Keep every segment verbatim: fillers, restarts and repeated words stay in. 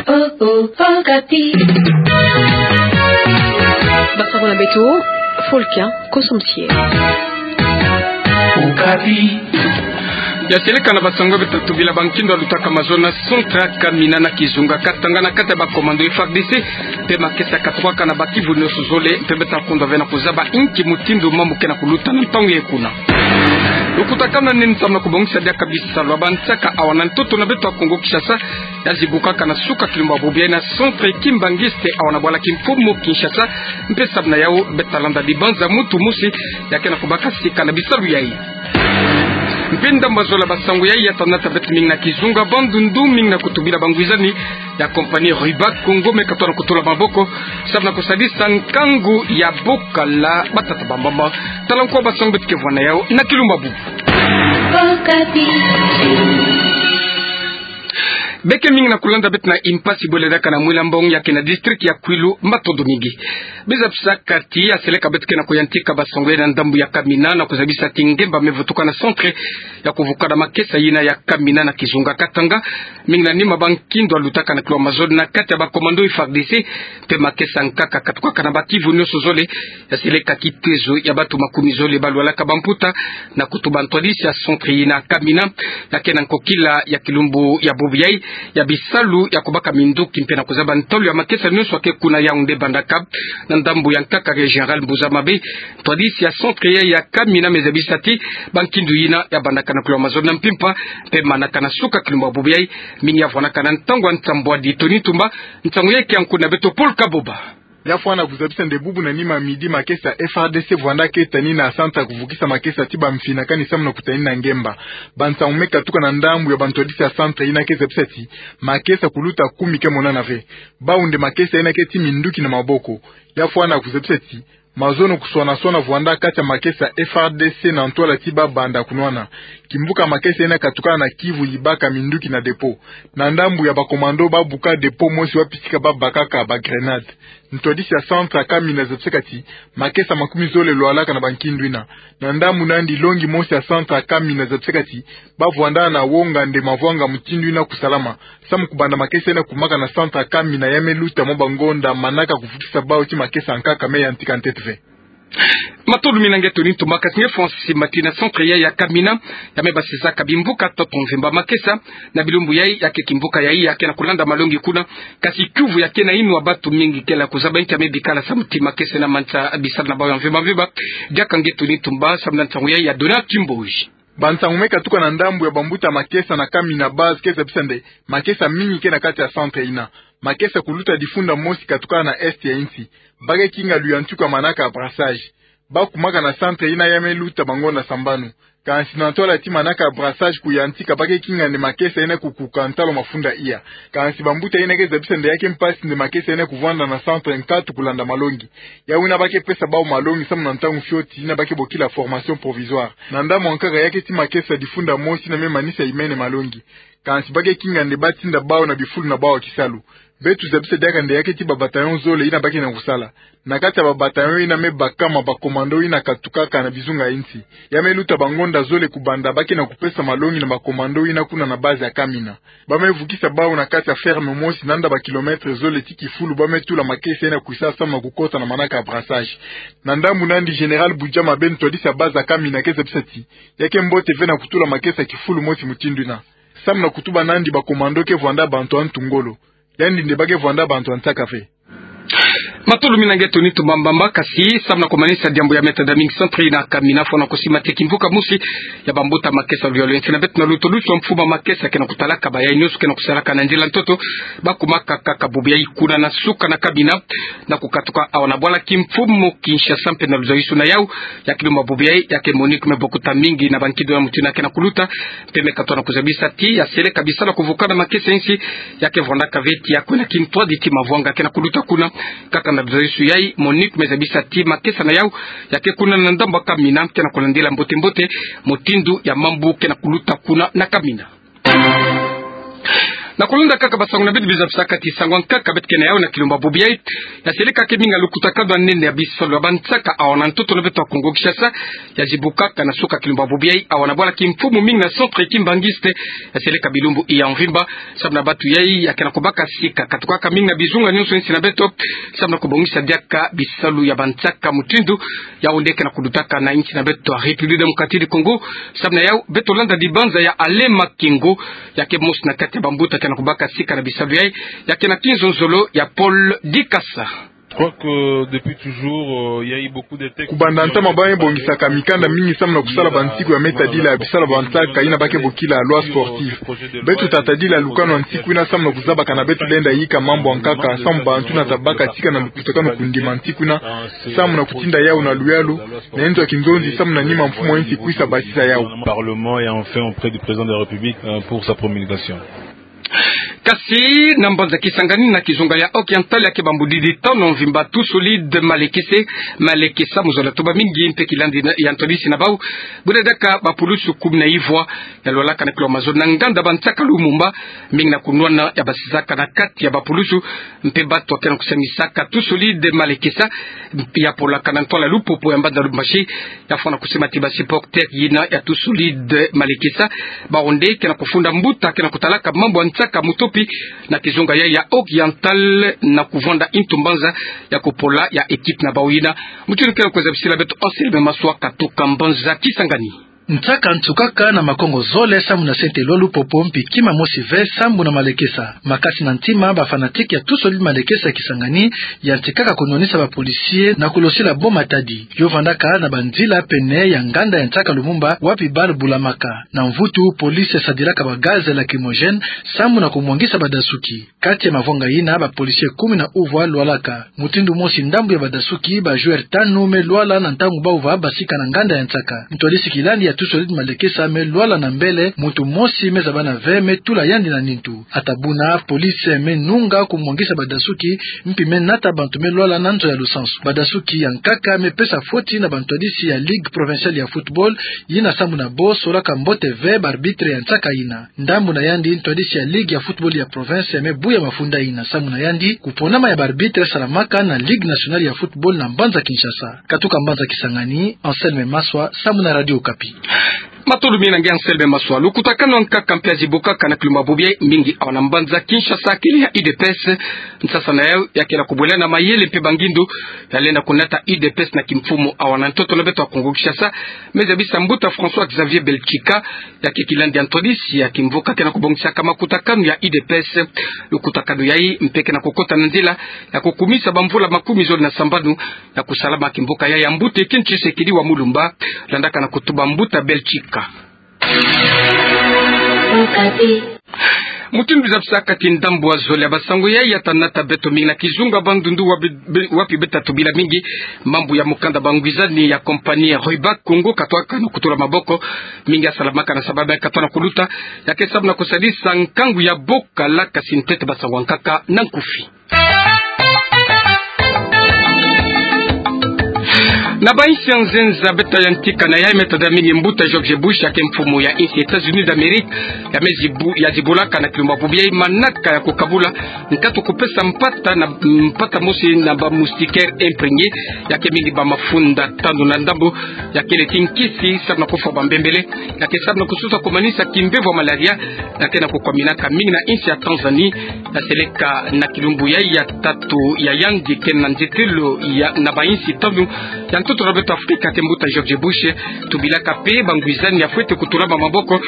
Oh, oh, Okapi. Basango na beto, Fulkia Kosomsie. Okapi. Ya seleka na basango beto tubila ba nkindo alutaka mazono na centre ya Kamina na kizunga Katanga na kati ya ba commando F A R D C, mpe makesa katukaka na ba kivu nyonso zole, mpe beto kundwa ve na kuzaba inki mutindu mambu ke na kuluta na ntangu yayi kuna. Lukutakanu na nini nsamu na kubongisa diaka bisalu ya bansaka awa na ntoto na beto ya Kongo Kinshasa, ya zibukaka na suka kilumbu ya bubu yayi na centre kimbanguiste awa na bwala kimfumu Kinshasa, mpe samu na yawu beto landa dibanza muntu mosi ya ke na kubaka sika na bisalu yayi. Mpe ndambu ya zole ya basango yayi ya tanda ta beto mingi na kizunga Bandundu, mingi na kutubila ba ngwizani ya compagnie Rubak Congo me katwa na kutula maboko samu na kusadisa nkangu ya bokala batata bambamba. Tala nko basango beto ke vwa na yawu na kilumbu ya bubu. Beke mingi na kulanda beto na impasi bwele diaka na Mwila Mbong ya ke na district ya Kwilu, matondo mingi. Bizabisa kati ya seleka beto ke na kuyantika basango yayi na ndambu ya Kamina na kuzabisa ti ngemba me vutuka na centre ya kuvukana makesa yina ya Kamina na kizunga Katanga, mingi na nima ba nkindo alutaka na kilwa mazono na kati ya ba commando F A R D C, mpe makesa nkaka katukaka na ba kivu nyonso zole, ya seleka kitezo ya bantu makumi zole balwalaka bamputa, na kutuba ntwadisi ya centre yina Kamina, ya ke na nkokila ya kilumbu ya bubu yayi ya bisalu ya kubaka minduki mpe na kuzaba ntalu ya makesa nyonso ya ke kuna, yawu nde bandaka na ndambu ya nkaka ke General Mbuza Mabe, ntwadisi ya centre yayi ya Kamina, me zabisa ti ba nkindo yina ya bandaka na kilwa mazono na mpimpa, mpe manaka na suka kilumbu ya bubu yayi, mingi ya vwanaka na ntangu ya nsambwadi. Tony Ntumba, nsangu yayi ke ya nkundi na beto Paul Kaboba. Ya fwana kuzabisa nde bubu na nima midi makesa F A R D C vwanda ke tani na centre ya kuvukisa makesa ti bamfina kani samu na kutani na ngemba. Bansangu me katuka na ndambu ya bantwadisi ya centre yina ke zabisa ti makesa kuluta kumi ke monana ve. Bawu nde makesa yina ke ti minduki na maboko. Ya fwana kuzabisa ti mazono kuswana-swana vwanda kati ya makesa F A R D C na ntwala ti ba banda kunwana. Kimbuka makesa yina katukana na kivu yibaka minduki na dépôt. Na ndambu ya ba commando babuka dépôt mosi wapi tika babakaka ba grenade. Ntwadisi ya centre ya Kamina zabisaka ti makesa makumi zole lwalaka na ba nkindo yina. Na ndambu nandi longi mosi ya centre ya Kamina zabisaka ti bavwanda na wonga nde mavwanga mutindu yina kusalama samu kubanda makesa yina kumaka na centre ya Kamina ya me luta mwa bangonda manaka kuvukisa bawu ti makesa nkaka me yantika ntete ve. Matondo mingi na nge Tony Ntumba. Kasi nge Francis Mati, na centre yayi ya Kamina ya me basisaka bimbuka ntoto mvimba, makesa na bilumbu yayi ya ke kimbuka yayi ya ke na kulanda malongi kuna. Kasi kiuvu ya ke na inwa, bantu mingi kele kuzaba inki ya me bikala samu ti makesa yina manisa bisalu na bawu ya mvimba mvimba. Diaka nge Tony Ntumba, samu na nsangu yayi ya Donald Kimboji. Bansangu me katuka na ndambu ya bambuta makesa na Kamina base ke zabisa nde makesa mingi ke na kati ya centre yina. Makesa kuluta difunda mosi katukana na est ya insi. Ba ke kinga luyantiku ya manaka ya brassage. Bakumaka na centre yina ya me luta bangonda sambanu. Kansi na ntwala ti manaka ya brassage kuyantika, ba ke kinga nde makesa yina kukuka ntalu mafunda iya. Kansi bambuta yina ke zabisa nde ya ke mpasi nde makesa yina kuvwanda na centre nkatu kulanda malongi. Yawu yina ba ke pesa bawu malongi samu na ntangu fioti yina ba ke bokila formation provisoire. Na ndambu ya nkaka ya ke ti makesa difunda mosi yina me manisa yimene malongi. Kansi ba ke kinga nde batinda bawu na bifulu na bawu ya kisalu. Beto zabisa diaka nde ya ke ti ba bataillon zole yina ba ke na kusala. Na kati ya ba bataillon yina me bakama ba commando yina katukaka na bizunga ya insi. Ya me luta bangonda zole kubanda ba ke na kupesa malongi na ba commando yina kuna na base ya Kamina. Ba me vukisa bawu na kati ya ferme mosi nanda ba kilomètre zole ti kifulu ba me tula makesa yina kwisa samu na kukota na manaka ya brassage. Na ndambu nandi Général Budjama Bento, ntwadisi ya base ya Kamina, ke zabisa ti ya ke mbote ve na kutula makesa kifulu mosi mutindu yina. Samu na kutuba nandi ba commando ke vwanda bantu ya ntu ngolo. Yandi nde ba ke vwanda bantu ya nsaka ve. Matondo mingi na nge Tony Ntumba Mbamba. Kasi samu na kumanisa diambu ya me tada mingi, centre yina Kamina, fwana kusima ti kimbuka mosi ya bambuta makesa luyalu ya insi. Na beto na luto luto mfumu ya makesa ke na kutalaka bayayi nyonso ke na kusalaka na nzila ntoto, bakumaka kaka bubu yayi kuna na suka na Kamina, na kukatuka awa na bwala kimfumu Kinshasa. Mpe na luzayusu na yawu, ya kilumbu ya bubu yayi ya ke Monique me bokuta mingi na ba nkindo ya mutindu yina ke na kuluta, mpe me katwa na kuzabisa ti ya seleka bisalu ya kuvukana makesa ya insi ya ke vwandaka ve ti ya kwenda kintwadi ti mavwanga ke na kuluta kuna. Kaka na luzayusu yayi, Monique me zabisa ti makesa na yawu ya ke kuna na ndambu ya Kamina ke na kulandila mbote-mbote mutindu ya mambu ke na kuluta kuna na Kamina. Na kulonda kaka basango na beto biza bisaka ti sango ya nkaka beto ke na yau na kilumbu ya bobo yai, ya seleka ke mingi ya lukutakanu ya nene ya bisalu ya bansaka awa na ntoto na beto ya Kongo Kinshasa, ya zibukaka na suka kilumbu ya bobo yai awa na bwala kimfumu mingi na centre kimbanguiste, ya seleka bilumbu iya mvimba. Samu na bantu yai ya ke na kubaka sika, katukaka mingi na bizunga nyonso insi na beto, samu na kubongisa diaka bisalu ya bansaka mutindu yau nde ke na kudutaka na insi na beto ya République Démocratique du Congo. Samu na yau beto landa dibanza ya Alain Makengo, ya ke mosi na kati ya bambuta ke na kubaka sika na bisalu yai, ya ke na kinzonzolo ya Paul Dikasa. Je crois que depuis toujours, euh, il y a eu beaucoup de textes. Kubanda ntama ba me bongisaka mikanda mingi samu na kusala bansiku ya me tadila bisalu ya bansaka yina ba ke bokila loi sportive. Beto ta tadila lukanu ya nsiku yina samu na kuzabaka na beto lenda yika mambu ya nkaka, samu bantu na ta baka sika na lukutakanu kundima nsiku yina, samu na kutinda yau na luyalu, na nzo ya kinzonzi samu na nima mfumu ya insi kwisa basisa yau. Parlement et enfin auprès du président de la République, euh, pour sa promulgation. Kasi na mbanza Kisangani na kizunga ya Oriental ya ke bambudidi tanu mvimba Tout Solide Malekese, Malekesa, mu zola toba mingi mpe kilandi na, ya ntwadisi na bau, buna diaka bapulusu kumi na ivwa ya lwalaka na kilo mazo na nganda bansaka Lumumba, mingi na kunwana ya basizaka na kati ya bapulusu, mpe bantu ya ke na kusamisaka Tout Solide Malekesa, mpe ya polaka na ntwala Lupopo ya mbanza Lubumbashi, ya fwana kusema ti basupporters yina ya Tout Solide Malekesa, bau nde ke na kufunda mbuta ke na kutalaka mambu ya nsaka mutopi na kizunga yai ya Oriental na kuvwanda ntu mbanza ya kupola ya équipe na bau yina. Mutindu ke na kuzabisila beto Anselme Maswa katuka mbanza Kisangani. Nsaka ntsukaka na makongo zole samu na sente lwa Lupopo mpi kima mosi ve sambu na Malekesa. Makasi na ntima ba fanatiques ya Tout Solide Malekesa ya Kisangani, yantikaka kunwanisa ba policiers na kulosila bo matadi. Yo vandaka na banzila pene ya nganda ya nsaka Lumumba, wapi bal bulamaka. Na mvutu, police sadilaka ba gaz lacrymogène sambu na kumwangisa badasuki. Kati ya mavwanga yina, ba policiers kumi na uvwa lwalaka. Mutindu mosi ndambu ya badasuki, ba joueurs tanu me lwala na ntangu bau va basika na nganda ya nsaka. Ntwadisi kilandi ya Tout Solide Malekesa me lwala na mbele, muntu mosi me zabana ve me tula yandi na nintu. Ata buna, police me nunga kumwangisa badasuki, mpi me nata bantu me lwala na nzo ya lusansu. Badasuki ya nkaka me pesa foti na bantwadisi ya Ligue Provinciale ya Football, yina sambu na bo solaka mbote ve ba arbitres ya nsaka yina. Ndambu na yandi, ntwadisi ya Ligue ya Football ya province me buya mafunda yina. Sambu na yandi, kuponama ya ba arbitres salamaka na Ligue Nationale ya Football na mbanza Kinshasa. Katuka mbanza Kisangani, Anselme Maswa, sambu na Radio Okapi. Matondo mingi na nge Anselme Maswa. Lukutakanu ya nkaka mpe ya zibukaka na kilumbu ya bobo yai mingi awa na mbanza Kinshasa, kele ya U D P S. Nsasa na yau ya ke na kubwela na mayele mpe bangindu ya lenda kunata U D P S na kimfumu awa na ntoto na beto ya Kongo Kinshasa, me zabisa mbuta François Xavier Belchika, ya ke kilandi ya ntwadisi ya kimvuka ke na kubongisaka makutakanu ya U D P S. Lukutakanu yai mpe ke na kukota na nzila ya kukumisa bamvula makumi zole na sambanu ya kusalama kimvuka yai ya mbuta Etienne Tshisekedi wa Mulumba, landaka na kutuba mbuta Belchika. Mutindu biza bisaka ti ndambu ya zole ya basango yai ya ta nata beto mingi na kizunga Bandundu wapi be-, wapi beta tubila mingi mambu ya mukanda bangwizani ya compagnie Roybac Congo katwaka na kutula maboko. Mingi ya salamaka na sababu ya katwa na kuluta, ya ke samu na kusadisa nkangu ya bokala, kasi ntete basango ya nkaka na nkufi. Na ba insi ya nzenza beta yantika na yai, me tada mingi mbuta George Bush, ya ke mfumu ya insi États-Unis d'Amérique, ya me zibu-, ya zibulaka na kilumbu ya bobo yai manaka ya kukabula nkatu kupesa mpata na, mpata mosi na ba moustiquaires imprégnés, ya ke mingi ba mafunda tanu na ndambu, ya kele ti nkisi samu na kufwa bambembele, ya ke samu na kususa kumanisa kimbevo ya malaria, ya ke na kukwaminaka mingi na insi ya Tanzanie. Ya seleka na kilumbu yai ya tatu ya yandi ke na nzitelo ya na ba insi tanu ya ntoto na beto Afrika, ke mbuta George Bush tubilaka mpe bangwizani ya fwete kutulama maboko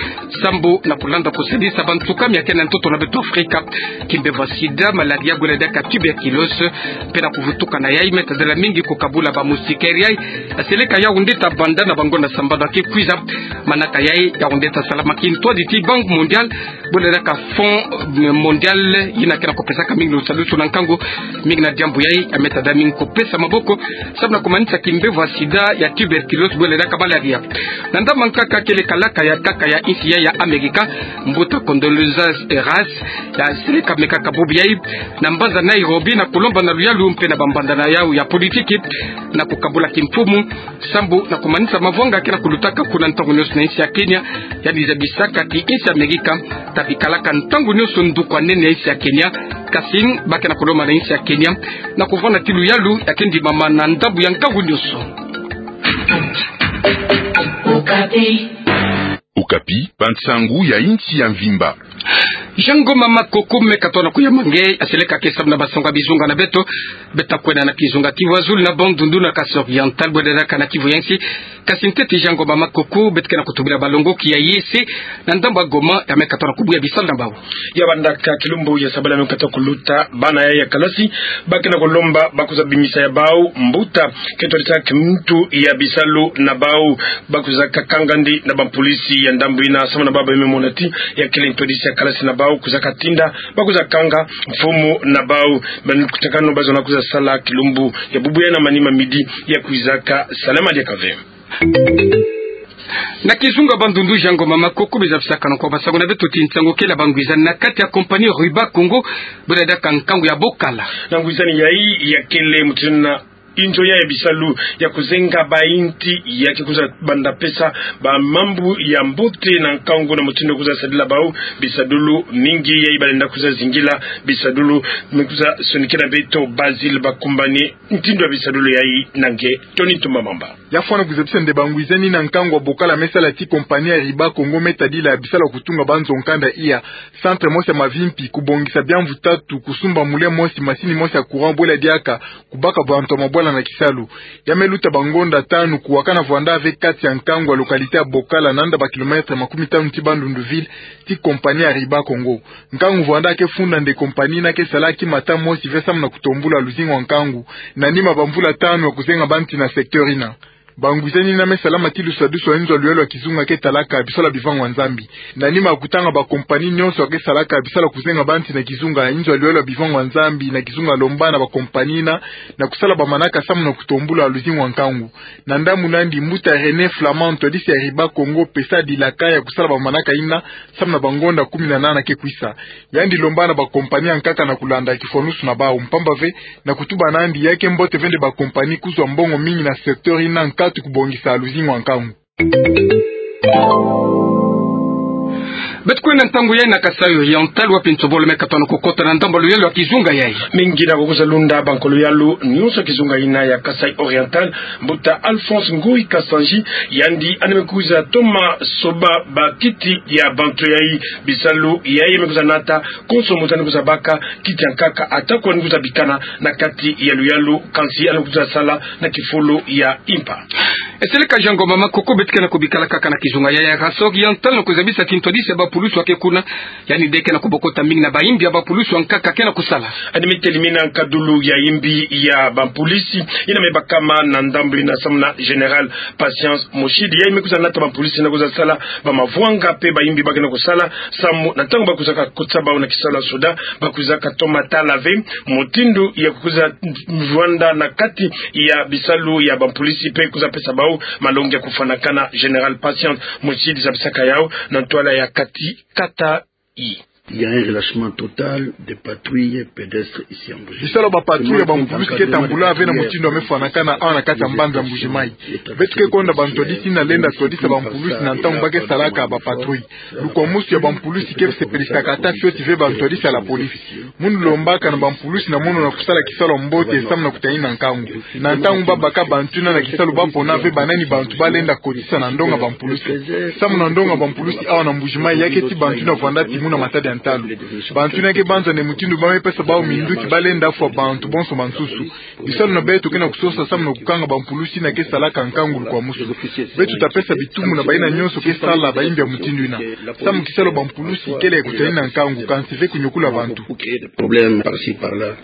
sambu na kulanda kusadisa bantukami ya ke na ntoto na beto Afrika, kimbevo ya sida, malaria, gole diaka tuberculose, mpe na kuvutuka na yai me tadila mingi kukabula ba moustiquaires yai. Ya seleka yau nde ta banda na bangonda sambanu ya ke kwiza. Manaka yai yau nde ta salama kintwadi ti Banque Mondiale, bole diaka Fonds, euh, Mondial, yina ke na kupesaka mingi lusalusu na nkangu. Mingi na diambu yai ya me tada mingi kupesa maboko samu na kumanisa mbevo ya sida, ya tuberculose, bwelelaka malaria. Na ndambu nkaka kele kalaka ya nkaka ya insi ya Amerika, mbuta Condoleezza Rice, yaseleka me kaka bubu yayi na mbanza Nairobi na kulomba na luyalu mpe na bambandu na yau ya politiki na kukabula kimfumu, sambu na kumanisa mavwanga ke na kulutaka kuna ntangu nyonso na insi ya Kenya, yandi zabisaka ti insi ya Amerika tabikalaka ntangu nyonso nduku ya nene ya insi ya Kenya. Kasi ba ke na kulomba na insi ya Kenya na kuvwanda ti luyalu ya ke ndimama na ndambu ya nkangu nyonso. Okapi, bansangu ya insi ya mvimba. Jean Ngoma Makoko me katona kuyama nge, yaseleka ke samu na bansangu ya bizunga na beto. Beto ta kwenda na kizunga Kivu ya Zulu na Bandundu na Kasaï Oriental, bwelelaka na Kivu ya Nsi. Kasi ntete Jean Ngoma Makoko, beto ke na kutubila balongoki ya yese na ndambu ya Goma, ya me katona kubuya bisalu na bau. Ya bandaka kilumbu ya sabala me kata kuluta, bana ya, ya kalasi ba ke na kulomba ba kwiza bimisa ya bau mbuta ke twadisa kimuntu ya bisalu na bau. Ba kwiza kakanga ndi na bampolisi ya ndambu yina, samu na bau ba me mona ti ya kele ntwadisi ya kalasi na bau, kwiza katinda ba kwiza kanga mfumu na bau. Bankutakanu ba zonza kwiza sala kilumbu ya bubu ya na manima midi ya kwiza kasalama diaka ve. Na kizunga Bandundu, Jean Ngoma Makoko, biza bisakana kwa bansangu na beto ti nsangu kele bangwizani na kati ya compagnie Ruba Congo, bwelelaka nkangu ya bokala. Na ngwizani yayi ya kele mutindu na inzo ya, ya bisalu ya kuzenga bainti ya ke kwiza banda pesa bamambu ya mbote na nkangu na mutindu kwiza sadila bau bisadulu mingi. Yayi balenda kwiza zingila bisadulu, me kwiza sonikila beto Basile Bakumbane ntindu ya bisadulu yayi na nge Tony Ntumba Mamba. Ya fwana kwiza bisa nde bangwizani na nkangu ya bokala me sala ti compagnie ya Ruba Congo me tadila bisalu ya kutunga banzo nkanda iya, centre mosi ya mavimpi, kubongisa biamvu tatu, kusumba moulin mosi, masini mosi ya courant, bwela diaka kubaka bantu ya mabwala na kisalu. Ya me luta bangonda tanu kuwakana vwanda ve kati ya nkangu ya localité ya bokala, nanda ba kilomètre makumi tanu ti Bandundu ville, ti compagnie ya Ruba Congo. Nkangu vwanda ke funda nde compagnie yina ke sala ki mata mosi ve samu na kutombula luzingu ya nkangu, na nima bamvula tanu ya kuzenga banti na secteur yina. Bangwizani yina me salama ti lusadusu ya inzo ya luyalu ya kizunga ke talaka bisalu ya bivangu ya Nzambi. Na nima ya kutanga bacompagnie nyonso ya ke salaka bisalu ya kuzenga banti na kizunga, inzo ya luyalu ya bivangu ya Nzambi na kizunga lomba na bacompagnie yina na kusala bamanaka samu na kutombula luzingu ya nkangu. Na ndambu nandi, mbuta René Flamand, ntwadisi ya Ruba Congo, pesa dilaka ya kusala bamanaka yina samu na bangonda kumi na nana ke kwisa. Yandi lomba na bacompagnie ya nkaka na kulanda kifwanusu na bau, mpamba ve na kutuba nandi ya ke mbote ve nde bacompagnie kuzwa mbongo mingi na secteur yina nkatu kubongisa luzingu ya nkangu. Beto kwenda ntangu yayi na Kasaï Oriental, wapi nsobolo me katona kukota na ndambu ya luyalu ya kizunga yayi. Mingi na kukwiza lunda bankolo yalu nyonso ya kizunga yina ya Kasaï Oriental, mbuta Alphonse Ngoyi Kasanji, yandi yandi me kwiza toma soba bakiti ya bantu yayi. Bisalu yayi me kwiza nata, konso muntu yandi kwiza baka kiti ya nkaka, ata ko yandi kwiza bikana na kati ya luyalu, kansi yandi kwiza sala na kifulu ya impa. Yaseleka Jean Ngoma Makoko. Beto ke na kubikala kaka na kizunga yayi ya Kasaï Oriental na kwiza bisa ti ntwadisi ya bapulusu ya ke kuna, yandi nde ke na kubokota mingi na bayimbi ya bapulusu ya nkaka ke na kusala. Yandi me telimina nkadulu ya yimbi ya bapulusu yina me bakama na ndambu yina samu na Général Patience Moshidi. Yayi me kwiza nata bapulusu yina kwiza sala bamavwanga mpe bayimbi ba ke na kusala, samu na ntangu ba kwiza kakotisa bau na kisalu ya soda, ba kwiza katoma tala ve mutindu ya kwiza vwanda na kati ya bisalu ya bapulusu mpe kwiza pesa bau malongi ya kufwanakana. Général Patience Moshidi zabisaka yau na ntwala ya kati kata. Il y a un relâchement total des patrouilles pédestres ici en Mbuji. Bisalu ya bapatrouille ya bapulusu ke tambula ve na mutindu ya me fwanakana awa na kati ya mbanza Mbuji-Mayi. Beto ke konda bantwadisi yina lenda twadisa bapulusu na ntangu ba ke salaka bapatrouille. Lukwamusu ya bapulusu ke sepelisaka ata fioti ve bantwadisi ya la police. Mono lombaka na bapulusu na mono na kusala kisalu ya mbote samu na kutanina nkangu. Na ntangu ba baka bantu yina na kisalu, ba pona ve banani bantu ba lenda kotisa na ndonga bapulusu. Samu na ndonga bapulusu awa na Mbuji-Mayi, ya ke ti bantu yina vwanda timuna matadi ya ntalu. Bantu yina ke banza nde mutindu ba me pesa bau minduki, ba lenda fwa bantu bonso bansusu. Bisalu na beto ke na kusosa samu na kukanga bapulusu yina ke salaka nkangu lukwamusu. Beto ta pesa bitumu na bayina nyonso ke sala bayimbi ya mutindu yina. Samu kisalu ya bapulusu kele ya kutanina nkangu, kansi ve kunyokula bantu. Problème par-ci par-là.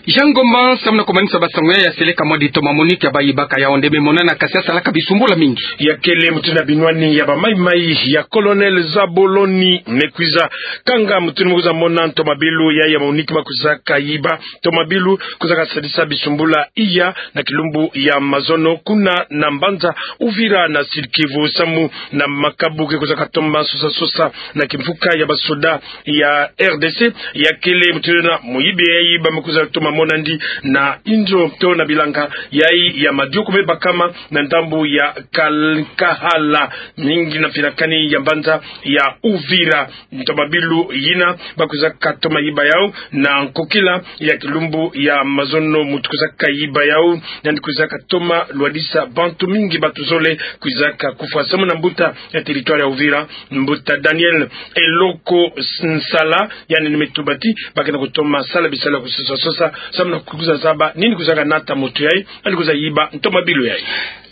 Jean Ngomba, samu na komanisa basango ya seleka mwa di toma MONUC ya bayiba ka yaonde me mona na kasi asalaka bisumbula mingi. Ya kele mutindu na binwani ya bamaimai ya Colonel Zaboloni, me kwiza kanga mutindu me kwiza mona ntomabilu ya, ya MONUC ma kwizaka yiba ntomabilu kwizaka sadisa bisumbula iya na kilumbu ya mazono kuna na mbanza Uvira na Sud-Kivu, samu na makabu ke kwizaka toma sosa sosa na kimfuka ya basoda ya R D C. Ya kele mutindu na muyibi ya yiba me kwiza toma mona ndi na inzo to na bilanga yayi ya madioko me bakama na ndambu ya Kal-, Kahala, mingi na finakani ya mbanza ya Uvira. Ntomabilu yina ba kwizaka toma yiba yau na nkokila ya kilumbu ya mazono, muntu kwizaka yiba yau, nandi kwizaka toma lwadisa bantu mingi, bantu zole kwizaka kufwa, samu na mbuta ya territoire ya Uvira, mbuta Daniel Eloko Nsala, yandi ni me tubati ba ke na kutoma sala bisalu ya kusosa sosa samu na kwiza zaba nini kwizaka nata muntu yayi nandi kwiza yiba ntomabilu yayi.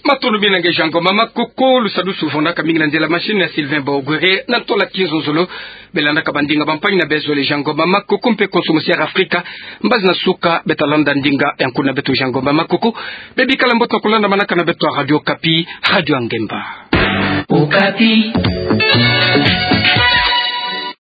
Matondo mingi na nge Jean Ngomba Makoko. Lusadusu luvundaka mingi na nzila machine ya Sylvain Bogwere, na ntola kinzonzolo. Belandaka bandinga bampangi na bezole Jean Ngomba Makoko mpe Konso Musi Air Afrika. Mbazi na suka beta landa ndinga ya nkuna beto Jean Ngomba Makoko. Bebikala mbote na kulanda manaka na beto ya Radio Okapi, radio ya ngemba. Okapi.